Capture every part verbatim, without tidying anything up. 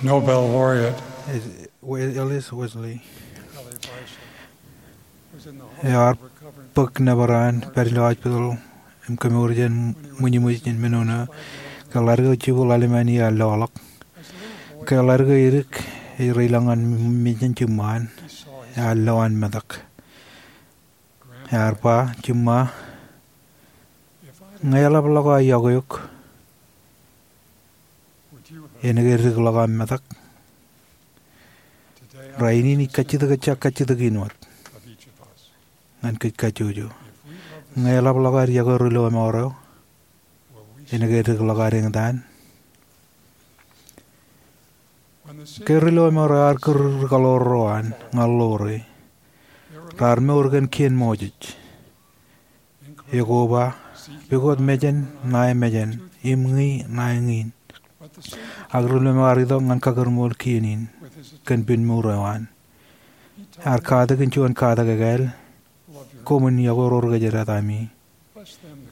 Nobel laureate Ellis Westlake ear bōk nōbar an pād ilo hospital im kemour jān ṃwijṃwij in men eo ṇe. Ke ḷadik eo jibwe ḷalem an iiō ear loḷọk. Ke ḷadik eo edik ej reilañ ñan mejān jiṃṃa an, ear lo an metak. Ear ba, "Jiṃṃa, ñe eḷapḷọk aō yokwe eok, en ke dikḷọk aṃ metak?" Rainin ij kajjitōk, ejja kajjitōk in wōt ñan kōj kajjojo. Ñe eḷapḷọk ad yokwe ri lọmọọr eo, en ke dikḷọk ad eñtaan? Ke ri lọmọọr eo ear kūr ri kaḷoor ro an ñan ḷoore, raar mour kōn kien Moses. Ekoba, pukot mejān ṇae mejān, im ñi ṇae ñin. Ak ri lọmọọr ear itok ñan kakūrmool kien in kōn pād mour eo an. Ear katakin juon katak ekāāl, "Koṃwin yokwe ro ri kōjdat ami.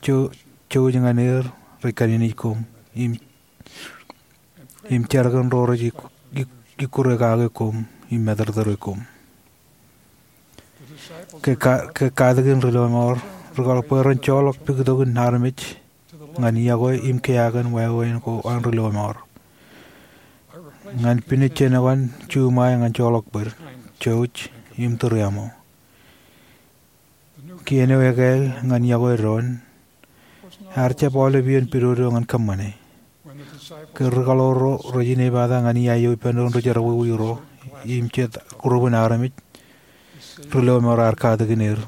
Jou-, jouj ñan er rej kanejnej koṃ, im, im jerkōn ro rej ik-, ik-, ikkure kake koṃ im matōrtōre koṃ." Ke ka-, ke katakin ri lọmọọr, ri kaḷoor bwe ren joḷọk puktokin armej ñan yokwe im kea kōn wāween ko an ri lọmọọr. Ñan pinej jān eo an juṃae ñan joḷọk bōd, jouj im tūriaṃo. Kien eo ekāāl ñan yokwe doon ear jab aolep iien pidodo ñan kōṃṃane. Ke ri kaḷoor ro rej inepata ñan iaio ippān doon ri jerbal wiwi ro im jet group in armej, ri lọmọọr ear katakin er.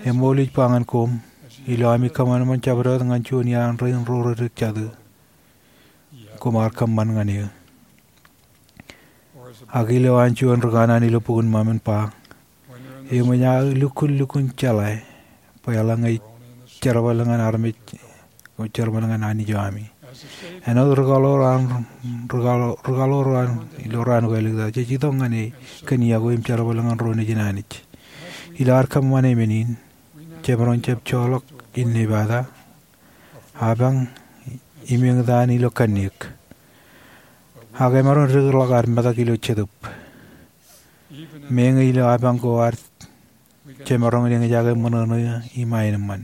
Eṃool ij ba ñan koṃ, ilo ami kōṃanṃan jabdewōt ñan juon iaan rein ro rej dik jatū, koṃ ar kōṃṃan ñan eō. Ak ilo an juon ri kanaan ilo bok in ṃōṃ en ba, "Eṃōj aō lukkuun lukkuun jeḷā bwe eḷaññe ij jerbal ñan armej, ij jerbal ñan Anij eo ami." Āinwōt ri kaḷoor an, ri kaḷoor, ri kaḷoor an ilo raan ko āliktata, jej itok ñan e kōn yokwe im jerbal ñan ro nejin Anij. Ilo ad kōṃṃane men in, jemaroñ jab joḷọk innepata, apañ, im eñtaan ilo kanniōk. Ak emaroñ dikḷọk ad metak ilo Jetōb. Meñe ilo apañ ko ad jemaroñ in eñjake ṃōṇōṇō im aenōṃṃan.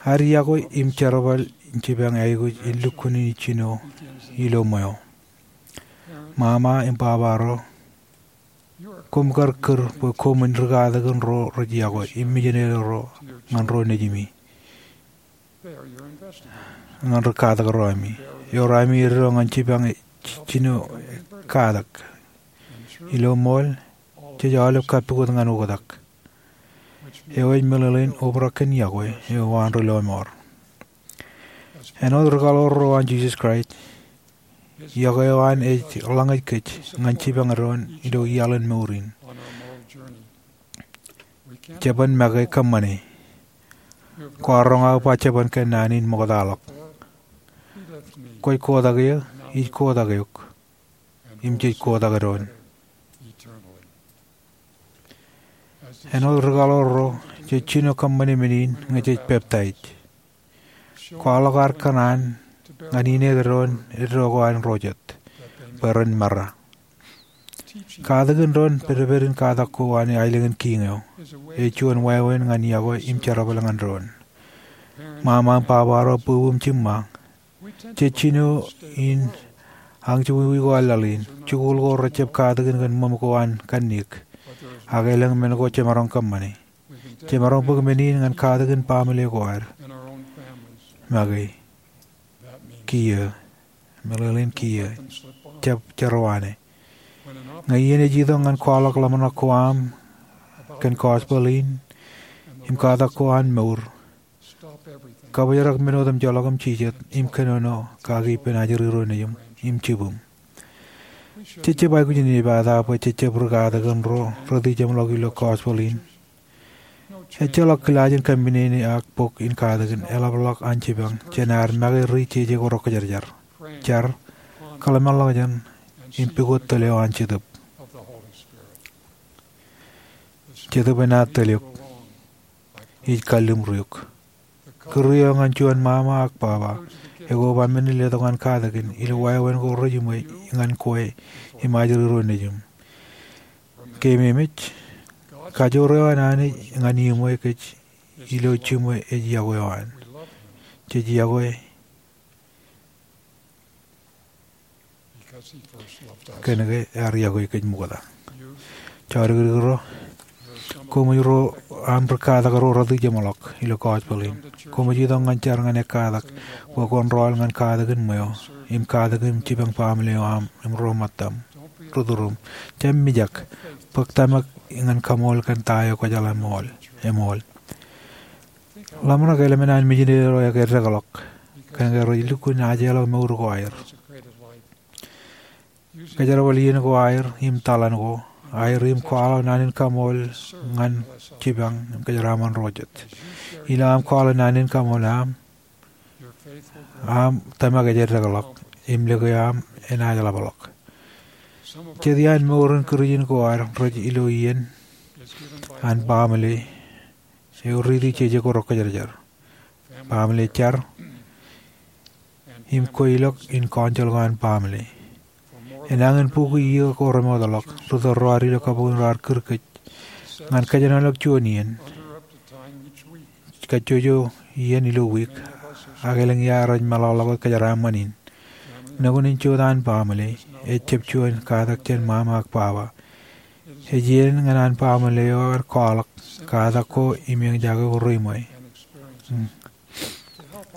Ad yokwe im jerbal in jipañ aikuj in lukkuun in jino ilo ṃweo. Mama im baba ro, koṃ kar kūr bwe koṃwin ri katakin ro rej yokwe im mijinede ro ñan ro nejimi, ñan ri katak ro ami. Eor ami eddo ñan jipañ ej jino katak. Ilo ṃool, jej aolep kappukot ñan oktak, eo ej meḷeḷein obrak kōn yokwe eo an ri lọmọọr. Āinwōt ri kaḷoor ro an Jisōs Kraist, yokwe eo an ej ḷañōj kōj ñan jipañ doon ilo iaḷ in mour in. Jeban make kōṃṃane. Kwaar roñ aō ba jeban kōn naan in ṃoktaḷọk. Kwōj kotak eō, ij kotak eok, im jej kotak doon. Āinwōt ri kaḷoor ro, jej jino kōṃṃane men in ñe jej peptaij. Kwaḷọk ad kōṇaan ñan ineek doon eddo ko an ro jet, bwe ren mara. Katakin doon pedped in katak ko an aelōñ in kiiñ eo. Ej juon wāween ñan yokwe im jerbal ñan doon. Ṃaṃa im baba ro, bwibwi im jiṃṃa, jej jino in añjewōj ko laḷ in, jikuuḷ ko rejjab katakin kōn ṃōṃ ko an kanniōk, ak elōñ men ko jemaroñ kōṃṃane. Jemaroñ bōk men in ñan katakin baaṃle ko ad. Make, kiiō, meḷeḷein kiiō, jab jerọwaane. Ñe iien ej itok ñan kwaḷọk ḷōmṇak ko aṃ kōn gospel in im katak ko an mour, kabōjrak men otemjeḷọk im jijet im kōnono kaki ippān ajri ro nejiṃ im jibwiṃ. Jej jab aikuj in inepata bwe jej jab ri katakin ro retijeṃḷọk ilo gospel in. Ejjeḷọk kilaaj in kōminene ak bok in katakin eḷapḷọk an jipañ jān ad make ri jeje ko rọkjeḷā jar. Jar, kōḷmānḷọkjeṇ, im pukot tōl eo an Jetōb. Jetōb enaaj tōl eok. Ij kalliṃur eok. Kūr eo ñan juon ṃaṃa ak baba. Ekwe, ba men in letok ñan katakin ilo wāween ko rej iṃwe ñan kwe im ajri ro nejūṃ. Keememej, kajoor eo an Anij ñan iṃwe kōj ilo jiṃwe ej yokwe eo an. Jej yokwe kōn ke ear yokwe kōj ṃokta. Jọdikdik ro, koṃij ro aṃ ri katak ro rot ijeṃḷọk ilo gospel in. Koṃij itok ñan jar ñan ekkatak bwe kwōn rọọl ñan katakin ṃweo im katakin jipañ baaṃle eo aṃ im ro ṃōttaṃ, ri tūrūṃ. Jab mijak, bōk tōmak ñan kaṃool kōn ta eo kwōjeḷā ṃool, eṃool. Ḷōmṇak eḷap men an mijinede ro ekdekḷọk kōn ke rej lukkuun ajeḷọk mour ko aer. Kōjerbal iien ko aer im taḷan ko aer im kwaḷọk naan in kaṃool ñan jipañ im kōjeraaṃṃan ro jet. Ilo aṃ kwaḷọk naan in kaṃool aṃ, aṃ tōmak ej dekḷọk im lōke aṃ enaaj ḷapḷọk. Jet iaan mour in Kūrjin ko ad rej ilo iien an baaṃle eo riiti jeje ko rekwōjarjar, baaṃle jar, im kweilọk in council ko an baaṃle. Enañin bukwi iiō ko remootḷọk, ri tōl ro ad ilo kabuñ raar kūr kōj ñan kōjenolọk juon iien, kajjojo iien ilo wiik, ak elōñ ia rej meḷọkḷọk wōt kōjeraaṃṃan in. Nukun in jota an baaṃle ejjab juon katak jān ṃaṃa ak baba. Ej iien ñan an baaṃle eo kwaḷọk katak ko im eñjake ko reiṃwe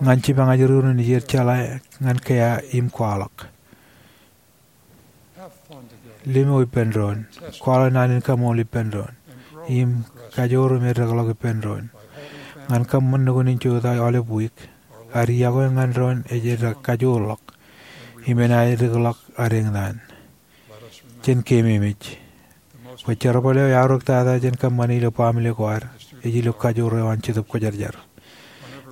ñan jipañ ajri ro nejier jeḷā ñan kea im kwaḷọk. Limo ippān doon, kwaḷọk naan in kaṃool ippān doon, im kajoor im edekḷọk ippān doon. Ñan kōṃṃan nukun in jota aolep wiik, ad yokwe ñan doon ej eddek kajoorḷọk im enaaj edekḷọk ad eñtaan. Jen keememej bwe jerbal eo eaorōk tata jān kōṃṃane ilo baaṃle ko ad ej ilo kajoor eo an Jetōb Kwōjarjar.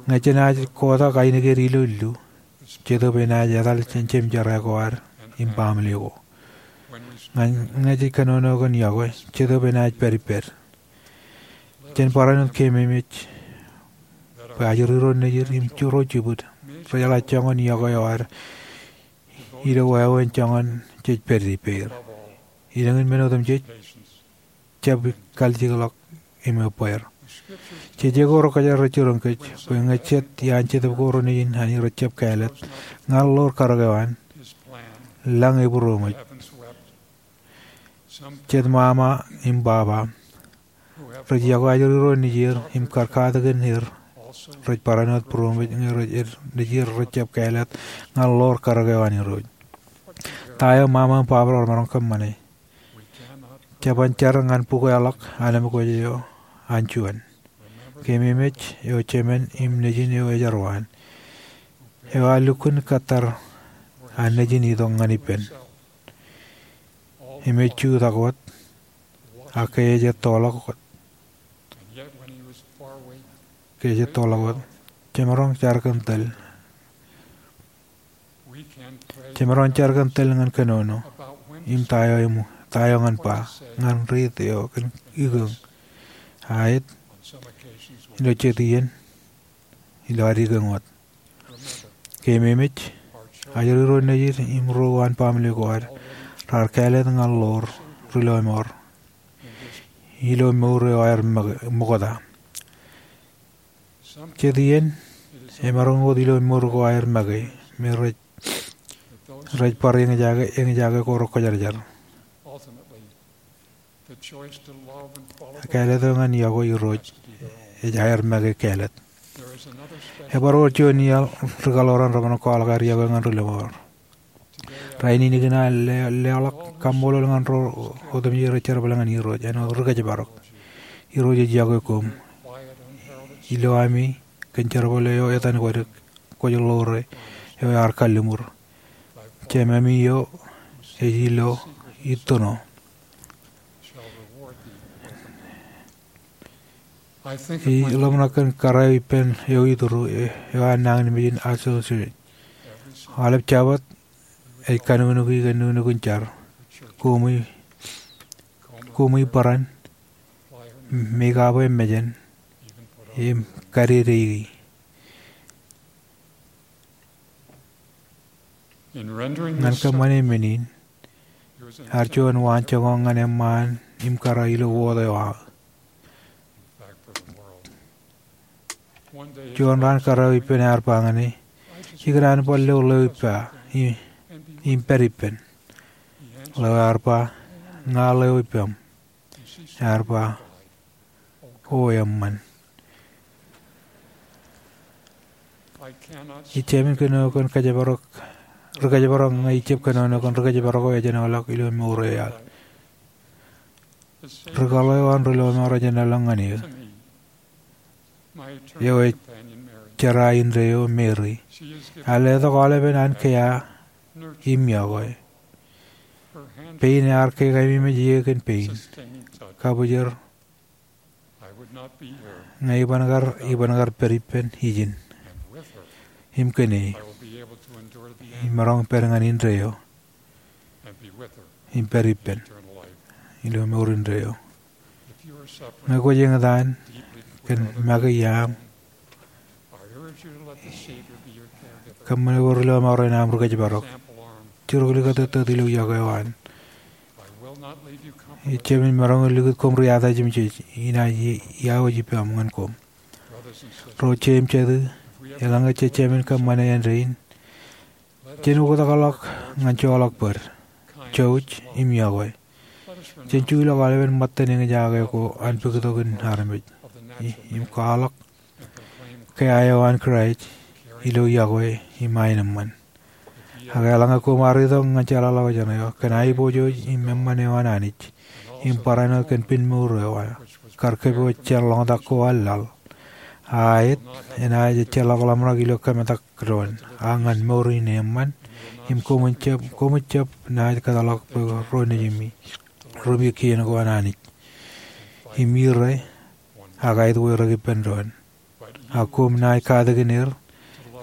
Ñe jenaaj kotak ainikien ilo illu, Jetōb enaaj etal jān jemjerā ko ad im baaṃle ko. Ñe, ñe jej kōnono kōn yokwe, Jetōb enaaj pād ippād. Jen barāinwōt keememej bwe ajri ro nejid im ro jibwid rejeḷā joñan yokwe eo ad ilo wāween joñan jej pād ippāer. Ilōñin men otemjej, jab kaljikḷọk im ebbeer. Jeje ko rekwōjarjar rej jiroñ kōj bwe ñe jet iaan Jetōb ko Renaaj in an rej jab kāālōt ñan ḷoor karōk eo an, lañ ebūroṃōj. Jet ṃaṃa im baba rej yokwe ajri ro nejier im kar katakin er rej barāinwōt būroṃōj ñe rej, nejier rej jab kāālōt ñan ḷoor karōk eo an Irooj. Ta eo ṃaṃa im baba ro remaroñ kōṃṃane? Jeban jar ñan bukwāḷọk anemkwōj eo an juon. Keememej, eo Jemān im Nejin eo ejerwaan, eo ear lukkuun kōttar an Nejin itok ñan ippān im ej jutak wōt, ak ke ej ettoḷọk wōt, ke ej ettoḷọk wōt. Jemaroñ jar kōn tōl Jemaroñ jar kōn tōl ñan kōnono im ta eo eṃōj, ta eo ñan ba, ñan riit eo kōn ikōñ, aet, ilo jet iien ilo ad ikōñ wōt. Keememej, ajri ro nejid im ro uwaan baaṃle ko ad raar kāālōt ñan ḷoor ri lọmọọr ilo mour eo aer ṃōk-, ṃokta. Jet iien, emaroñ wōt ilo mour ko aer make, me rej, rej bar eñjake, eñjake ko rekwōjarjar. Kāālōt eo ñan yokwe Irooj ej aer make kāālōt. Ebar wōr juon iaḷ ri kaḷoran remaroñ kwaḷọk aer yokwe ñan ri lọmọọr. Rainin ikōṇaan le-, leḷọk kaṃṃoolol ñan ro otemjej rej jerbal ñan Irooj āinwōt ri kōjparok. Irooj ej yokwe koṃ ilo ami kōn jerbal eo etan kwōj, kwōj ḷoore eo ear kalliṃur. Jememi eo ej ilo ittoṇo. Ij ḷōmṇak kōn kōrā eo ippān eo ituru, e, eo an nañinmej in Aso Suri. Aolep Jabōt ej kanuknuki kōn nuknuk in jar. Koṃwi, koṃwi barāinwōt, make up e mejān, im kadedeiki. Ñan kōṃṃane men in, ear juon waanjoñak ñan eṃṃaan im kōrā ilo wōt eo aō. Juon raan kōrā eo ippān ear ba ñan e, ikōṇaan bar lo ḷeo ippa im pād ippān. Ḷeo ear ba, ña ḷeo ippaṃ. Ear ba, o eṃṃan. Ij jāmin kōnono kōn kōjparok, ri kōjparok ñe ij jab kōnono kōn ri kōjparok eo ejenoḷọk ilo mour eo iaḷ. Ri kaḷo eo an ri lọmọọr ejenoḷọk ñan eō, eo ej jerā indeeo, Mary. Ear letok aolepen an kea im yokwe. Pein ear kekaememej eō kōn pein, kabwijor ñe iban kar, iban kar pād ippān ijin. Im kōn e, imaroñ pād ñan indeeo im pād ippān ilo mour indeeo. Ñe kwōj eñtaan kōn make iaam, kōṃṃane ko ri lọmọọr in aṃ ri kōjparok. Juruklikūt tok ilo yokwe eo an. Ij jāmin maroñ in likūt koṃ ri atajiṃ jej, inaaj iọkwe ippaṃ ñan koṃ. Ro jeiū im jatū, eḷaññe jej jāmin kōṃṃane āindein, jen oktakḷọk ñan joḷọk bōd, jouj im yokwe. Jen juḷọk aolepen ṃōttan eñjake ko an pukot in armej im kwaḷọk kea eo an Kraist ilo yokwe im aenōṃṃan. Ak eḷaññe koṃ ar itok ñan jeḷāḷọkjeṇ eo kōn aiboojoj im eṃṃan eo an Anij im barāinwōt kōn pinmour eo kar kōpooj jān ḷoñtak ko an laḷ, a aet enaaj ejjeḷọk ḷōmṇak ilo kōmetak doon, ak ñan mour in eṃṃan, im koṃij jab, koṃij jab naaj kōtḷọk bwe ro nejimi, ro ippa kien ko an Anij. Im ire, ak aet weirōk ippān doon. Ak koṃ naaj katakin er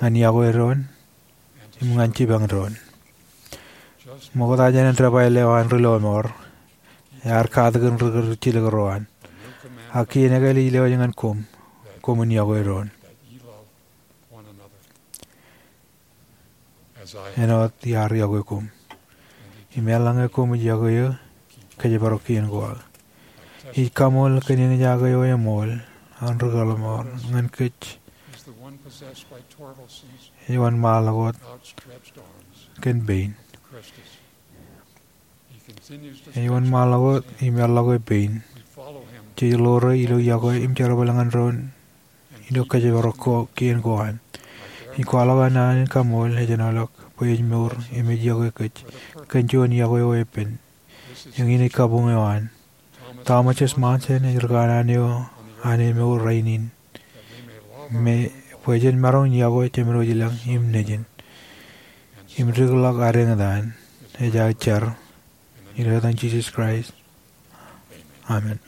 ñan yokwe doon im ñan jipañ doon. Ṃokta jān debwāāl eo an ri lọmọọr, ear katakin ri kar jilkinro an. Ak kien ekāāl ij lewōj ñan koṃ, koṃwin yokwe doon, āinwōt iar yokwe koṃ. Im eḷaññe koṃij yokwe eō, kōjparok kien ko aō. Ij kaṃool kōn eñjake eo eṃool an ri lọmọọr ñan kōj. Ej wōnṃaanḷọk wōt kōn pein. Ej wōnṃaanḷọk wōt im eḷḷọk e pein. Jej ḷoore ilo yokwe im jerbal ñan doon ilo kōjparok kien ko an. Ij kwaḷọk an naan in kaṃool ejenoḷọk bwe ej mour im ej yokwe kōj kōn juon yokwe eo epen. Eñin ej kabuñ eo an. Thomas S. Monson ej ri kanaan eo an emour rainin, me bwe jen maroñ in yokwe Jemedwōj ilañ im Nejin im dikḷọk ad eñtaan. Ej aō jar ilo etan Jisōs Kraist, amen.